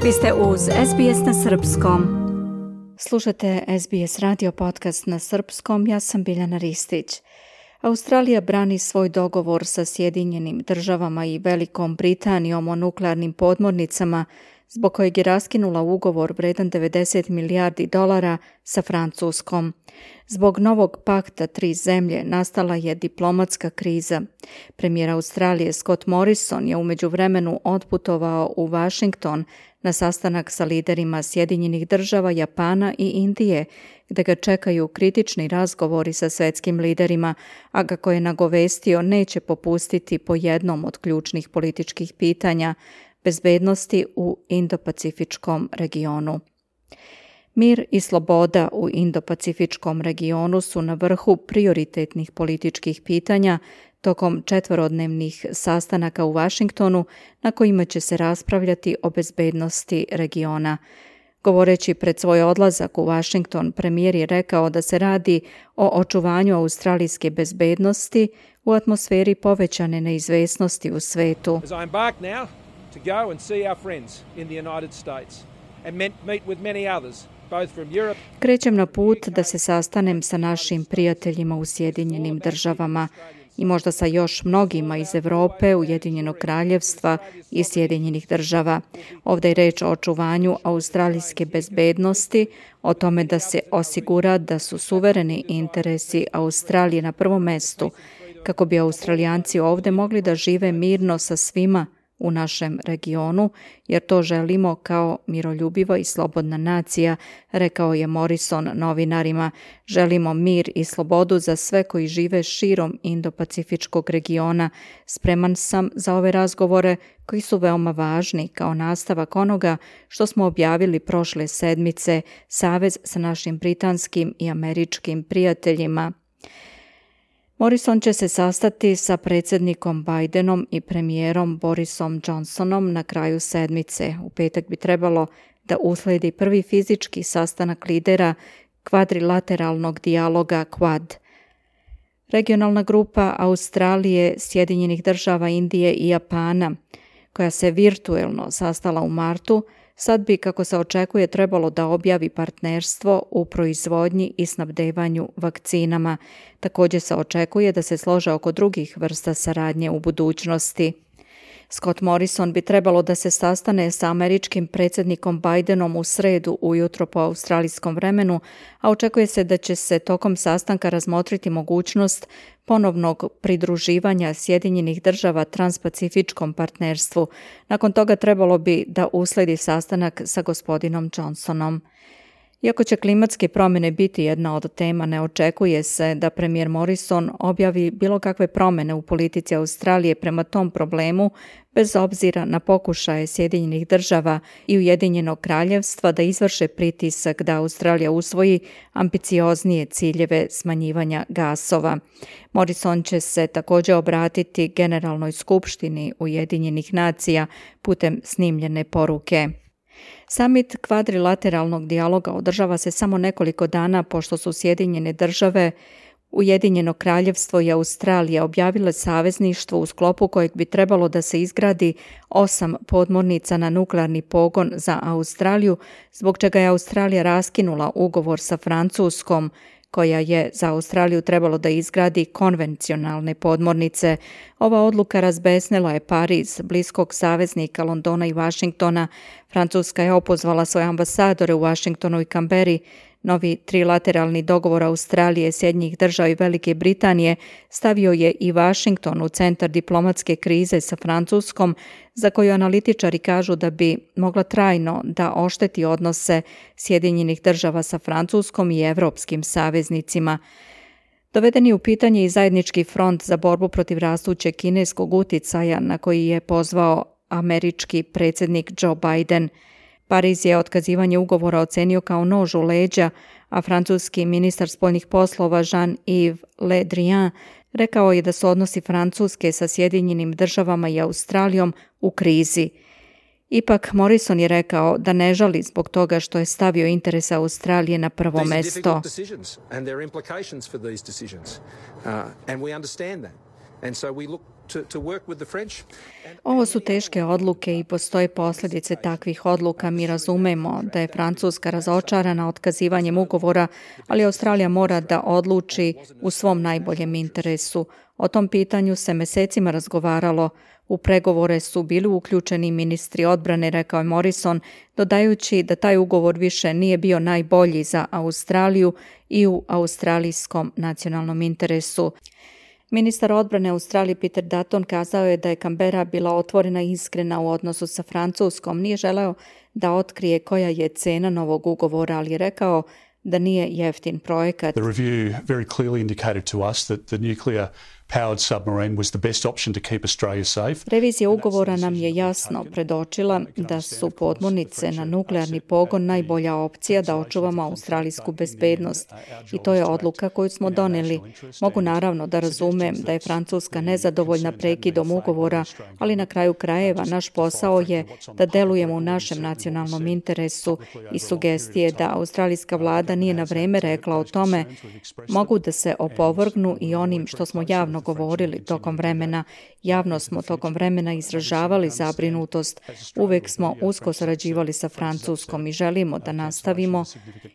Vi ste uz SBS na srpskom. Slušate SBS radio podcast na srpskom, ja sam Biljana Ristić. Australija brani svoj dogovor sa Sjedinjenim državama i Velikom Britanijom o nuklearnim podmornicama, zbog kojeg je raskinula ugovor vredan $90 milijardi sa Francuskom. Zbog novog pakta tri zemlje nastala je diplomatska kriza. Premijer Australije Scott Morrison je u međuvremenu otputovao u Washington na sastanak sa liderima Sjedinjenih država, Japana i Indije, gde ga čekaju kritični razgovori sa svetskim liderima, a kako je nagovestio neće popustiti po jednom od ključnih političkih pitanja, bezbednosti u Indo-Pacifičkom regionu. Mir i sloboda u Indo-Pacifičkom regionu su na vrhu prioritetnih političkih pitanja tokom 4-dnevnih sastanaka u Washingtonu na kojima će se raspravljati o bezbednosti regiona. Govoreći pred svoj odlazak u Washington, premijer je rekao da se radi o očuvanju australijske bezbednosti u atmosferi povećane neizvesnosti u svetu. To go and see our friends in the United States and meet with many others, both from Europe. Krećem na put da se sastanem sa našim prijateljima u Sjedinjenim državama i možda sa još mnogima iz Europe, Ujedinjenog kraljevstva i Sjedinjenih država. Ovdje je reč o očuvanju australijske bezbednosti, o tome da se osigura da su suvereni interesi Australije na prvom mestu, kako bi Australijanci ovdje mogli da žive mirno sa svima u našem regionu, jer to želimo kao miroljubiva i slobodna nacija, rekao je Morrison novinarima. Želimo mir i slobodu za sve koji žive širom Indo-Pacifičkog regiona. Spreman sam za ove razgovore koji su veoma važni kao nastavak onoga što smo objavili prošle sedmice, savez sa našim britanskim i američkim prijateljima. Morrison će se sastati sa predsjednikom Bidenom i premijerom Borisom Johnsonom na kraju sedmice. U petak bi trebalo da usledi prvi fizički sastanak lidera kvadrilateralnog dijaloga Quad. Regionalna grupa Australije, Sjedinjenih država, Indije i Japana, koja se virtuelno sastala u martu, sad bi, kako se očekuje, trebalo da objavi partnerstvo u proizvodnji i snabdevanju vakcinama. Također se očekuje da se slože oko drugih vrsta saradnje u budućnosti. Scott Morrison bi trebalo da se sastane sa američkim predsjednikom Bidenom u sredu ujutro po australijskom vremenu, a očekuje se da će se tokom sastanka razmotriti mogućnost ponovnog pridruživanja Sjedinjenih država transpacifičkom partnerstvu. Nakon toga trebalo bi da usledi sastanak sa gospodinom Johnsonom. Iako će klimatske promjene biti jedna od tema, ne očekuje se da premijer Morrison objavi bilo kakve promjene u politici Australije prema tom problemu, bez obzira na pokušaje Sjedinjenih država i Ujedinjenog kraljevstva da izvrše pritisak da Australija usvoji ambicioznije ciljeve smanjivanja gasova. Morrison će se također obratiti Generalnoj skupštini Ujedinjenih nacija putem snimljene poruke. Samit kvadrilateralnog dijaloga održava se samo nekoliko dana pošto su Sjedinjene države, Ujedinjeno kraljevstvo i Australija objavile savezništvo u sklopu kojeg bi trebalo da se izgradi 8 podmornica na nuklearni pogon za Australiju, zbog čega je Australija raskinula ugovor sa Francuskom, koja je za Australiju trebalo da izgradi konvencionalne podmornice. Ova odluka razbesnela je Pariz, bliskog saveznika Londona i Washingtona. Francuska je opozvala svoje ambasadore u Washingtonu i Canberri. Novi trilateralni dogovor Australije, Sjedinjenih država i Velike Britanije stavio je i Washington u centar diplomatske krize sa Francuskom, za koju analitičari kažu da bi mogla trajno da ošteti odnose Sjedinjenih država sa Francuskom i evropskim saveznicima. Doveden je u pitanje i zajednički front za borbu protiv rastućeg kineskog uticaja na koji je pozvao američki predsjednik Joe Biden. Pariz je otkazivanje ugovora ocenio kao nož u leđa, a francuski ministar spoljnih poslova Jean-Yves Le Drian rekao je da su odnosi Francuske sa Sjedinjenim državama i Australijom u krizi. Ipak Morrison je rekao da ne žali zbog toga što je stavio interese Australije na prvo mesto. Ovo su teške odluke i postoje posljedice takvih odluka. Mi razumemo da je Francuska razočarana otkazivanjem ugovora, ali Australija mora da odluči u svom najboljem interesu. O tom pitanju se mesecima razgovaralo. U pregovore su bili uključeni ministri odbrane, rekao je Morrison, dodajući da taj ugovor više nije bio najbolji za Australiju i u australijskom nacionalnom interesu. Ministar odbrane Australije Peter Dutton kazao je da je Canberra bila otvorena i iskrena u odnosu sa Francuskom. Nije želeo da otkrije koja je cena novog ugovora, ali je rekao da nije jeftin projekat. The review very clearly indicated to us that the nuclear powered submarine was the best option to keep Australia safe. Revizija ugovora nam je jasno predočila da su podmornice na nuklearni pogon najbolja opcija da očuvamo australijsku bezbednost. I to je odluka koju smo doneli. Mogu naravno da razumem da je Francuska nezadovoljna prekidom ugovora, ali na kraju krajeva naš posao je da delujemo u našem nacionalnom interesu i sugestije da australijska vlada nije na vreme rekla o tome mogu da se opovrgnu i onim što smo javno govorili tokom vremena. Javno smo tokom vremena izražavali zabrinutost. Uvek smo usko sarađivali sa Francuskom i želimo da nastavimo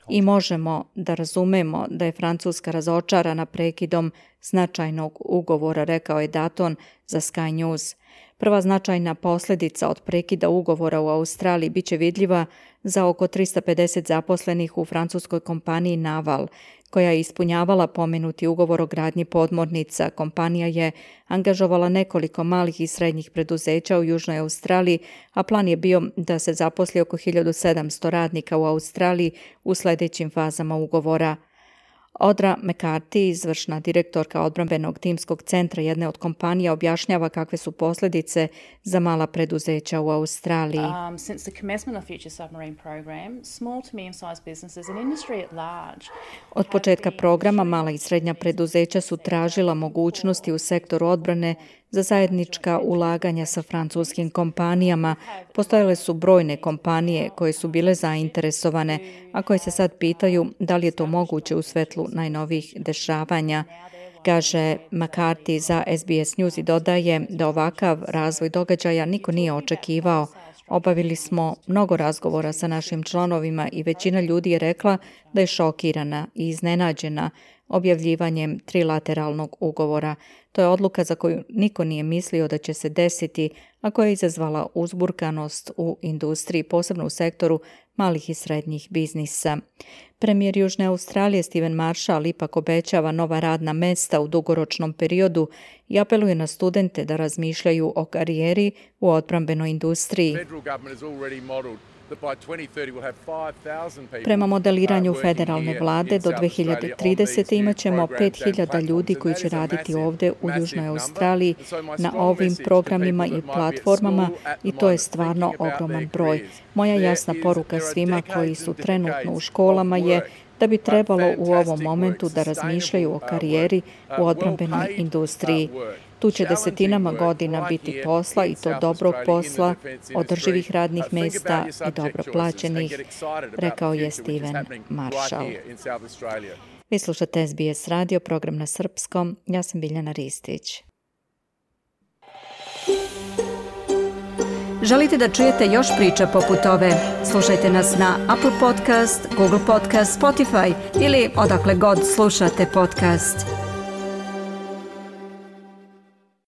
i možemo da razumemo da je Francuska razočarana prekidom značajnog ugovora, rekao je Dutton za Sky News. Prva značajna posljedica od prekida ugovora u Australiji biće vidljiva za oko 350 zaposlenih u francuskoj kompaniji Naval, koja je ispunjavala pomenuti ugovor o gradnji podmornica. Kompanija je angažovala nekoliko malih i srednjih preduzeća u Južnoj Australiji, a plan je bio da se zaposli oko 1700 radnika u Australiji u sljedećim fazama ugovora. Audra McCarthy, izvršna direktorka odbrambenog timskog centra jedne od kompanija, objašnjava kakve su posljedice za mala preduzeća u Australiji. Since the commencement of Future Submarine Program, small to medium-sized businesses and industry at large. Od početka programa mala i srednja preduzeća su tražila mogućnosti u sektoru odbrane za zajednička ulaganja sa francuskim kompanijama. Postojale su brojne kompanije koje su bile zainteresovane, a koje se sad pitaju da li je to moguće u svetlu najnovijih dešavanja. Kaže McCarthy za SBS News i dodaje da ovakav razvoj događaja niko nije očekivao. Obavili smo mnogo razgovora sa našim članovima i većina ljudi je rekla da je šokirana i iznenađena objavljivanjem trilateralnog ugovora. To je odluka za koju niko nije mislio da će se desiti, a koja je izazvala uzburkanost u industriji, posebno u sektoru malih i srednjih biznisa. Premijer Južne Australije Stephen Marshall ipak obećava nova radna mesta u dugoročnom periodu i apeluje na studente da razmišljaju o karijeri u odbrambenoj industriji. Prema modeliranju federalne vlade do 2030. imat ćemo 5000 ljudi koji će raditi ovdje u Južnoj Australiji na ovim programima i platformama i to je stvarno ogroman broj. Moja jasna poruka svima koji su trenutno u školama je da bi trebalo u ovom momentu da razmišljaju o karijeri u odbrambenoj industriji. Tu će desetinama godina biti posla i to dobrog posla, održivih radnih mjesta i dobro plaćenih, rekao je Stephen Marshall. Vi slušate SBS radio, program na srpskom. Ja sam Biljana Ristić. Želite da čujete još priča poput ove? Slušajte nas na Apple Podcast, Google Podcast, Spotify ili odakle god slušate podcast.